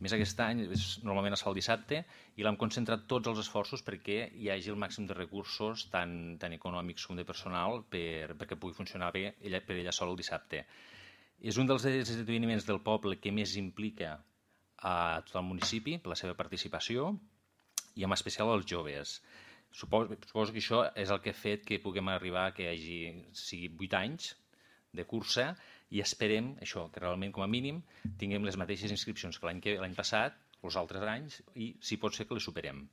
més aquest any normalment es fa el dissabte i l'hem concentrat tots els esforços perquè hi hagi el màxim de recursos, tant econòmics com de personal, perquè pugui funcionar bé per ella sola el dissabte. És un dels esdeveniments del poble que més implica a tot el municipi per la seva participació i en especial als joves. Suposo que això és el que ha fet que puguem arribar que sigui 8 anys de cursa i esperem això, que realment com a mínim tinguem les mateixes inscripcions que l'any passat, els altres anys, i si pot ser que les superem.